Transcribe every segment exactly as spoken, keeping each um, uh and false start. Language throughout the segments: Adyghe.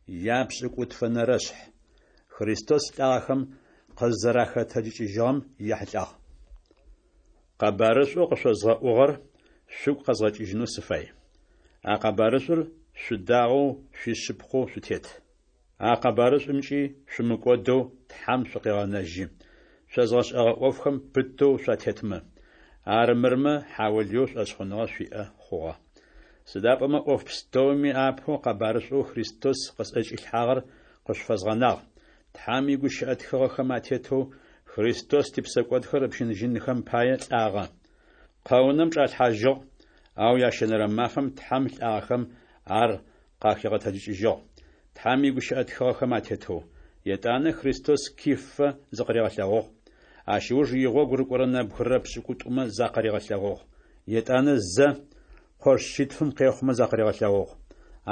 Япшӏыкӏутфэнэрэшъхь. Христос лӏагъэхэм къызэрахэтэджыкӏыжьыгъэм ехьылӏагъ. Къэбарышӏоу къышъозгъэӏугъэр шъугу къэзгъэкӏыжьынэу сыфай. А къэбарышӏур шъудагъэу шъуишъыпкъэу шъутет. А къэбарышӏумкӏи шъумыкӏодэу Тхьэм шъукъегъэнэжьы, шъозгъэшӏэгъэ ӏофхэм пытэу шъуатетмэ. Армырмэ хьаулыеу шӏошъхъуныгъэ шъуиӏэ хъугъэ. Сыда пӏомэ ӏоф пстэуми апэу къэбарышӏоу Христос къысӏэкӏилъхьагъэр къышъуфэзгъэнагъ: Тхьэм игущыӏэ тхыгъэхэм атетэу Христос типсэкӏодхэр ыпщыныжьынхэм пае лӏагъэ. Къэунэм чӏалъхьажьыгъ, ау ящэнэрэ мафэм Тхьэм лӏагъэхэм ар къахигъэтэджыкӏыжьыгъ, Тхьэм игущыӏэ тхыгъэхэм атетэу. Етӏанэ Христос Кифэ зыкъыригъэлъэгъугъ, ащ ыуж игъогу рыкӏорэ нэбгырэ пшӏыкӏутӏумэ закъыригъэлъэгъугъ. Етӏанэ зэ къош шъитфым къехъумэ закъыригъэлъэгъугъ.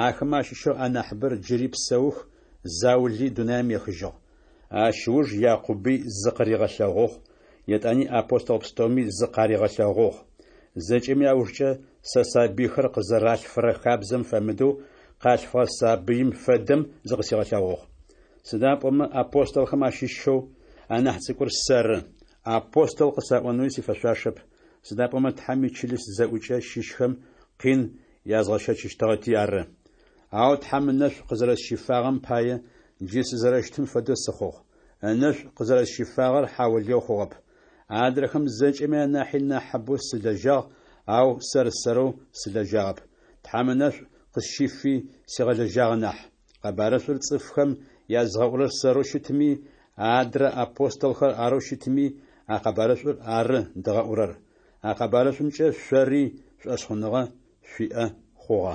Ахэмэ ащыщэу анахьыбэр джыри псэух, заули дунаим ехыжьыгъ. Ащ ыуж Якъуби зыкъыригъэлъэгъугъ, етӏани апостол пстэуми зыкъаригъэлъэгъугъ. Зэкӏэми аужкӏэ сэ сабыйхэр къызэралъфырэ хабзэм фэмыдэу къалъфыгъэ сабыим фэдэм зыкъысигъэлъэгъугъ. Сыда пӏомэ апостолхэм ащыщэу анахь цӏыкӏур сэры, апостол къысаӏонэуи сифэшъуашэп, сыда пӏомэ Тхьэм ичылыс зэӏукӏэ щыщхэм къин язгъэщэчыщтыгъэти ары. Ау Тхьэм ынэшӏу къызэрэсщифагъэм пае джы сызэрэщытым фэдэу сыхъугъ. Ынэшӏу къызэрэсщифагъэр хьаулыеу хъугъэп. Адрэхэм зэкӏэми анахьи нахьыбэу сылэжьагъ, ау сэр-сэрэу сылэжьагъэп, Тхьэм ынэшӏу къысщифи сигъэлэжьагъэ нахь. Къэбарышӏур цӏыфхэм язгъэӏурэр сэрэу щытми, адрэ апостолхэр арэу щытми, а къэбарышӏур ары дгъэӏурэр. А къэбарышӏумкӏэ шъори шӏошъхъуныгъэ шъуиӏэ хъугъэ.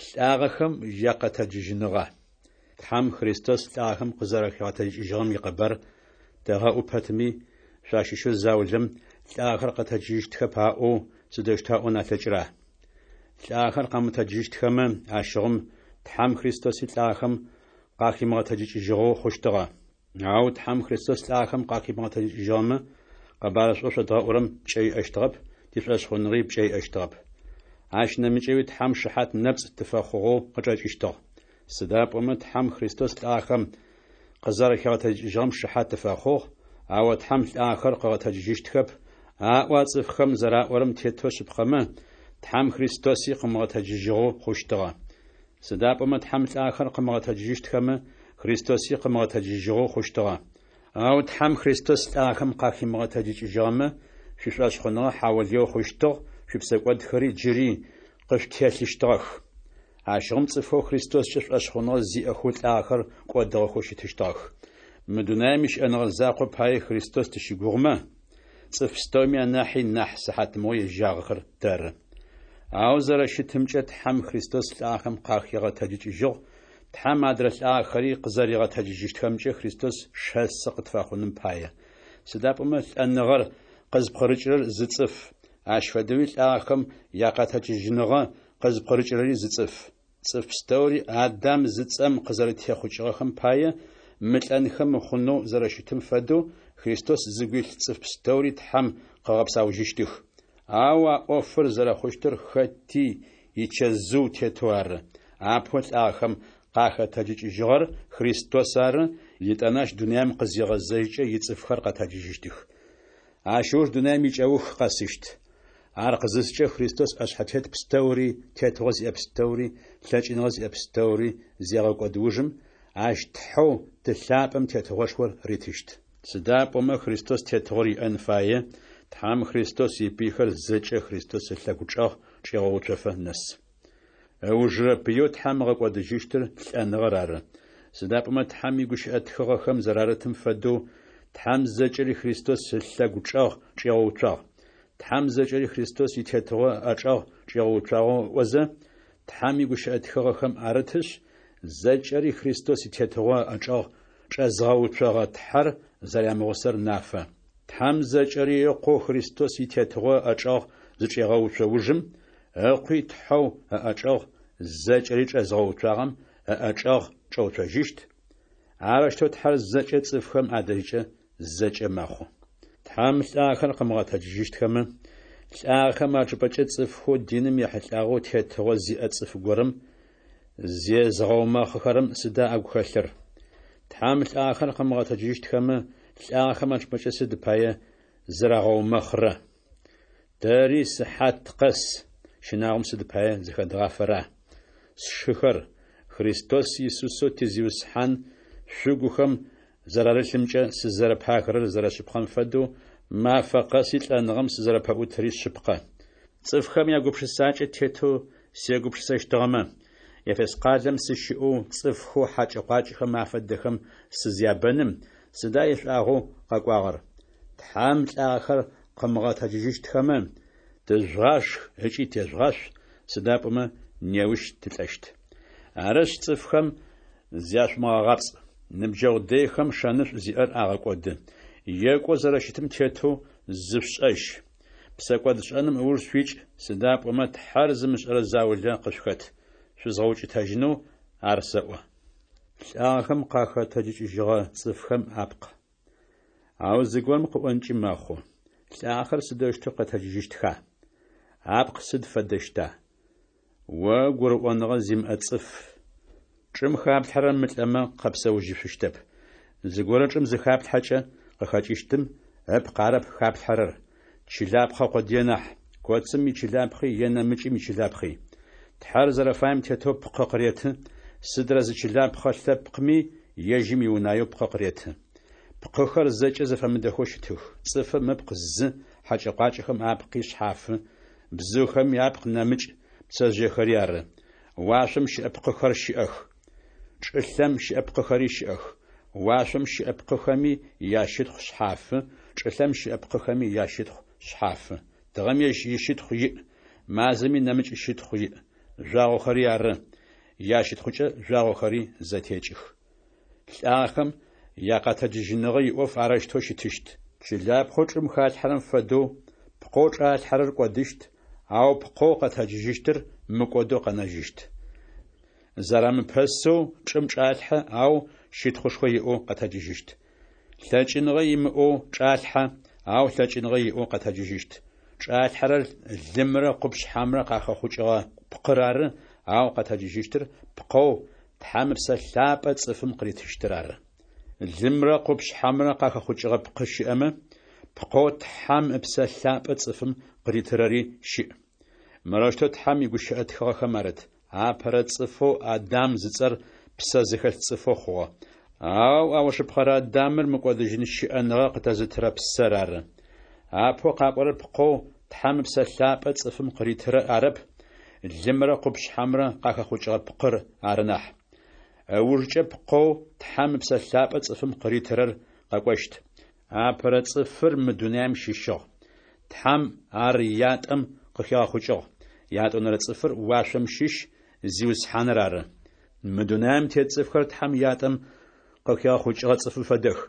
Лӏагъэхэм якъэтэджыжьыныгъэ. Тхьэм Христос лӏагъэхэм къызэрэхигъэтэджыкӏыжьыгъэм икъэбар тэгъэӏу пэтми, шъуащыщэу заулэм лӏагъэхэр къэтэджыжьыщтхэп аӏоу сыдэущтэу аӏон алъэкӏыра? Лӏагъэхэр къэмытэджыжьыщтхэмэ, ащыгъум Тхьэм Христоси лӏагъэхэм къахимыгъэтэджыкӏыжьыгъэу хъущтыгъэ. Ау Тхьэм Христос лӏагъэхэм къахимыгъэтэджыкӏыжьыгъэмэ, къэбарышӏоу шъодгъэӏурэм пкӏэ иӏэщтыгъэп, тишӏошъхъуныгъи пкӏэ иӏэщтыгъэп. Ащ нэмыкӏэуи Тхьэм шыхьат нэпцӏ тыфэхъугъэу къычӏэкӏыщтыгъ. Сыда пӏомэ Тхьэм Христос лӏагъэхэм къызэрэхигъэтэджыкӏыжьыгъэм шыхьат тыфэхъугъ, ау Тхьэм лӏагъэхэр къыгъэтэджыжьыщтхэп аӏо а цӏыфхэм зэраӏорэм тетэу шъыпкъэмэ, Тхьэм Христоси къымыгъэтэджыжьыгъэу хъущтыгъэ. Сыда пӏомэ Тхьэм лӏагъэхэр къымыгъэтэджыжьыщтхэмэ, Христоси къымыгъэтэджыжьыгъэу хъущтыгъэ. Ау Тхьэм Христос лӏагъэхэм къахимыгъэтэджыкӏыжьыгъэмэ, шъуишӏошъхъуныгъэ хьаулыеу хъущтыгъ, шъуипсэкӏодхэри джыри къышъутелъыщтыгъэх. Ащыгъум цӏыфхэу Христоскӏэ шӏошъхъуныгъэ зиӏэхэу лӏагъэхэр кӏодыгъэхэу щытыщтыгъэх. Мы дунаим ищыӏэныгъэ закъо пае Христос тыщыгугъымэ, цӏыф пстэуми анахьи нахь сыхьатмыгъо ежьагъэхэр тэры. Ау зэрэщытымкӏэ Тхьэм Христос лӏагъэхэм къахигъэтэджыкӏыжьыгъ, Тхьэм адрэ лӏагъэхэри къызэригъэтэджыжьыщтхэмкӏэ Христос шэсы къытфэхъуным пае. Сыда пӏомэ лӏэныгъэр къызпкъырыкӏырэр зы цӏыф, ащ фэдэуи лӏагъэхэм якъэтэджыжьыныгъэ къызпкъырыкӏырэри зы цӏыф. Цӏыф пстэури Адам зыцӏэм къызэрэтехъукӏыгъэхэм пае мылӏэнхэ мыхъунэу зэрэщытым фэдэу Христос зыгу илъ цӏыф пстэури Тхьэм къыгъэпсаужьыщтых. Ау а ӏофыр зэрэхъущтыр хэти ичэзыу тетэу ары: апэу лӏагъэхэм къахэтэджыкӏыжьыгъэр Христос ары, етӏанэ ащ дунаим къызигъэзэжькӏэ ицӏыфхэр къэтэджыжьыщтых. Ащ ыуж дунаим икӏэух къэсыщт. Ар къызыскӏэ Христос ӏэшъхьэтет пстэури, тетыгъо зиӏэ пстэури, лъэкӏыныгъэ зиӏэ пстэури зегъэкӏод ужым, ащ Тхьэу Ты лъапӏэм тетыгъошхор ритыщт. Сыда пӏомэ Христос тетыгъор иӏэн фае, Тхьэм Христос ипыйхэр зэкӏэ Христос ылъэгучӏэгъ чӏегъэуцофэ нэс. Ыужырэ пыеу Тхьэм ыгъэкӏодыжьыщтыр лӏэныгъэр ары. Сыда пӏомэ Тхьэм игущыӏэ тхыгъэхэм зэрарытым фэдэу, Тхьэм зэкӏэри Христос ылъэгучӏэгъ чӏигъэуцуагъ. Тхьэм зэкӏэри Христос итетыгъо ыӏэчӏэгъ чӏигъэуцуагъэу ыӏозэ, Тхьэм игущыӏэ тхыгъэхэм арытышъ, зэкӏэри Христос итетыгъо ыӏэчӏэгъ чӏэзгъэуцогъэ Тхьэр зэрямыгъусэр нафэ. Тхьэм зэкӏэри Ыкъоу Христос итетыгъо ыӏэчӏэгъ зычӏегъэуцо ужым, Ыкъуи Тхьэу ыӏэчӏэгъ зэкӏэри чӏэзгъэуцуагъэм ыӏэчӏэгъ чӏэуцожьыщт. Арэущтэу Тхьэр зэкӏэ цӏыфхэм адэжькӏэ зэкӏэ мэхъу. Тхьэм лӏагъэхэр къымыгъэтэджыжьыщтхэмэ, лӏагъэхэм ачӏыпӏэкӏэ цӏыфхэу диным ехьылӏагъэу тетыгъо зиӏэ цӏыф горэм Зезгъэумэхъыхэрэм сыда агу хэлъыр? Тхьэм лӏагъэхэр къымыгъэтэджыжьыщтхэмэ, лӏагъэхэм ачӏыпӏэкӏэ сыд пае зырагъэумэхърэ? Тэри сыхьат къэс щынагъом сыд пае зыхэдгъафэра? Сшыхэр, Христос Исусэу ти Зиусхьан шъугухэм зэрарылъымкӏэ сызэрэпагэрэр зэрэшъыпкъэм фэдэу, мафэ къэси лӏэныгъэм сызэрэпэӏутри шъыпкъэ. Цӏыфхэм ягупшысакӏэ тетэу сегупшысэщтыгъэмэ, Ефес къалэм сыщыӏэу, цӏыфхэу хьакӏэ-къуакӏэхэм афэдэхэм сызябэным, сыда ишӏуагъэу къэкӏуагъэр? Тхьэм лӏагъэхэр къымыгъэтэджыжьыщтхэмэ, тыжъугъашх ыкӏи тежъугъашъу, сыда пӏомэ неущ тылӏэщт. Арышъ, цӏыфхэм зяшъумыгъэгъапцӏ. Ныбджэгъу дэйхэм шэнышӏу зиӏэр агъэкӏоды. Екӏоу зэрэщытым тетэу зышъушӏэжь. Псэкӏодшӏэным ыуж шъуикӏ, сыда пӏомэ Тхьэр зымышӏэрэ заулэ къышъухэт. Шъузгъэукӏытэжьынэу ар сэӏо. Лӏагъэхэм къахэтэджыкӏыжьыгъэ цӏыфхэм апкъ. Ау зыгорэм къыӏонкӏи мэхъу: Лӏагъэхэр сыдэущтэу къэтэджыжьыщтха? Апкъ сыд фэдэщта? О гурыӏоныгъэ зимыӏэ цӏыф! Чӏым хаплъхьэрэр мылӏэмэ къэпсэужьышъущтэп. Зыгорэ чӏым зыхаплъхьэкӏэ къыхэкӏыщтым ыпкъ арэп хаплъхьэрэр, чылапхъэ къодые нахь, коцым ичылапхъи е нэмыкӏым ичылапхъи. Тхьэр зэрэфаем тетэу пкъы къыреты, сыдрэ зы чылапхъэ лъэпкъми ежьым иунаеу пкъы къыреты. Пкъыхэр зэкӏэ зэфэмыдэхэу щытых: цӏыфым ыпкъ зы, хьэкӏэ-къуакӏэхэм апкъи шъхьафы, бзыухэми апкъ нэмыкӏ, пцэжъыехэри ары. Уашъом щыӏэ пкъыхэр щыӏэх, чӏылъэм щыӏэ пкъыхэри щыӏэх. Уашъом щыӏэ пкъыхэми ящытхъу шъхьафы, чӏылъэм щыӏэ пкъыхэми ящытхъу шъхьафы. Тыгъэм ежь ищытхъу иӏ, мазэми нэмыкӏ щытхъу иӏ, жъуагъохэри ары, ящытхъукӏэ жъуагъохэри зэтекӏых. Лӏагъэхэм якъэтэджыжьыныгъэ иӏоф арэущтэу щытыщт. Чылапхъэу чӏым халъхьэрэм фэдэу, пкъэу чӏалъхьэрэр кӏодыщт, ау пкъэу къэтэджыжьыщтыр мыкӏодэу къэнэжьыщт. Зэрамыпэсэу чӏым чӏалъхьэ, ау щытхъушхо иӏэу къэтэджыжьыщт. Лъэкӏыныгъэ имыӏэу чӏалъхьэ, ау лъэкӏыныгъэ иӏэу къэтэджыжьыщт. Чӏалъхьэрэр лымрэ къупшъхьэмрэ къахэхъукӏыгъэ пкъыр ары, ау къэтэджыжьыщтыр пкъэу Тхьэм Ыпсэ Лъапӏэ цӏыфым къыритыщтыр ары. Лымрэ къупшъхьэмрэ къахэхъукӏыгъэ пкъы щыӏэмэ, пкъэу Тхьэм Ыпсэ Лъапӏэ цӏыфым къыритырэри щыӏ. Мырэущтэу Тхьэм игущыӏэ тхыгъэхэм арыт: Апэрэ цӏыфэу Адам зыцӏэр псэ зыхэлъ цӏыфэу хъугъэ. Ау аужыпкъэрэ Адамыр мыкӏодыжьын щыӏэныгъэ къытэзытырэ псэр ары. Апэу къакӏорэр пкъэу Тхьэм Ыпсэ Лъапӏэ цӏыфым къыритырэр арэп, лымрэ къупшъхьэмрэ къахэхъукӏыгъэ пкъыр ары нахь. Ыужкӏэ пкъэу Тхьэм Ыпсэ Лъапӏэ цӏыфым къыритырэр къэкӏощт. Апэрэ цӏыфыр мы дунаим щыщыгъ. Тхьэм ар ятӏэм къыхигъэхъукӏыгъ. Ятӏонэрэ цӏыфыр уашъом щыщ, Зиусхьаныр ары. Мы дунаим тет цӏыфхэр Тхьэм ятӏэм къыхигъэхъукӏыгъэ цӏыфым фэдэх.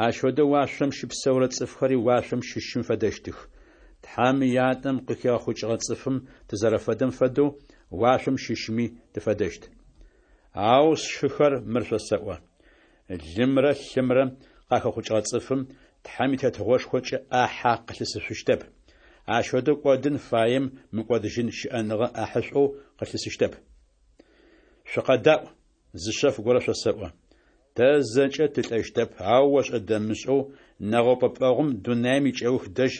Ащ фэдэу уашъом щыпсэурэ цӏыфхэри уашъом щыщым фэдэщтых. Тхьэм ятӏэм къыхигъэхъукӏыгъэ цӏыфым тызэрэфэдэм фэдэу уашъом щыщми тыфэдэщт. Ау, сшыхэр, мыр шъосэӏо: лымрэ лъымрэ къахэхъукӏыгъэ цӏыфым Тхьэм и Тетыгъошхокӏэ ӏахьэ къылъысышъущтэп. Ащ фэдэу кӏодын фаем мыкӏодыжьын щыӏэныгъэ ӏахьышӏоу къылъысыщтэп. Шъукъэдаӏу, зы шъэф горэ шъосэӏо. Тэ зэкӏэ тылӏэщтэп, ау ошӏэ-дэмышӏэу нэгъэупӏэпӏэгъум дунаим икӏэух дэжь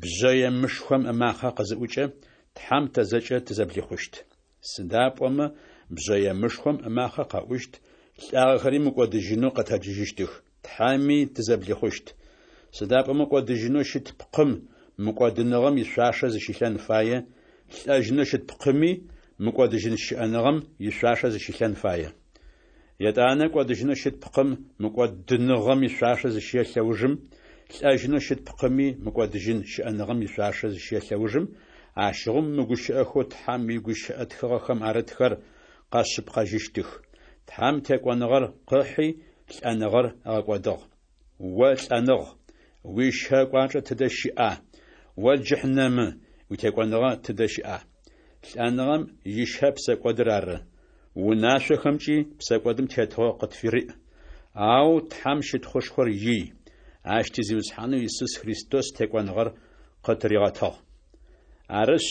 бжъэемышхом ымакъэ къызыӏукӏэ, Тхьэм тэ зэкӏэ тызэблихъущт. Сыда пӏомэ бжъэемышхом ымакъэ къэӏущт, лӏагъэхэри мыкӏодыжьынэу къэтэджыжьыщтых, Тхьэми тызэблихъущт. Сыда пӏомэ кӏодыжьынэу щыт пкъым мыкӏодыныгъэм ишъуашэ зыщилъэн фае, лӏэжьынэу щыт пкъыми мыкӏодыжьын щыӏэныгъэм ишъуашэ зыщилъэн фае. Етӏанэ кӏодыжьынэу щыт пкъым мыкӏодыныгъэм ишъуашэ зыщелъэ ужым, лӏэжьынэу щыт пкъыми мыкӏодыжьын щыӏэныгъэм ишъуашэ зыщелъэ ужым, ащыгъум мы гущыӏэхэу Тхьэм игущыӏэ тхыгъэхэм арытхэр къэшъыпкъэжьыщтых: Тхьэм текӏоныгъэр къыхьи, лӏэныгъэр ыгъэкӏодыгъ. О лӏэныгъ, уищэ кӏуачӏэ тыдэ щыӏа? О джыхьнэмы, уитекӏоныгъэ тыдэ щыӏа? Лӏэныгъэм ищэ псэкӏодыр ары. Унашъохэмкӏи псэкӏодым тетыгъо къытфыриӏ. Ау Тхьэм щытхъушхор ий, Ащ ти Зиусхьанэу Исус Христос текӏоныгъэр къытыригъэтыгъ. Арышъ,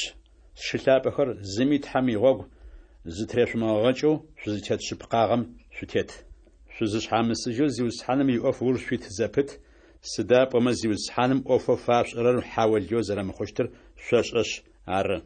сшы лъапӏэхэр, зыми Тхьэм игъогу Зытырешъумыгъэгъэкӏэу шъузытет шъыпкъагъэм шъутет. Шъузышъхьамысыжьэу Зиусхьаным иӏоф ыуж шъуит зэпыт, сыда пӏомэ Зиусхьаным ӏофэу фашъушӏэрэр хьаолыеу зэрэмыхъущтыр шъошӏэшъ ары.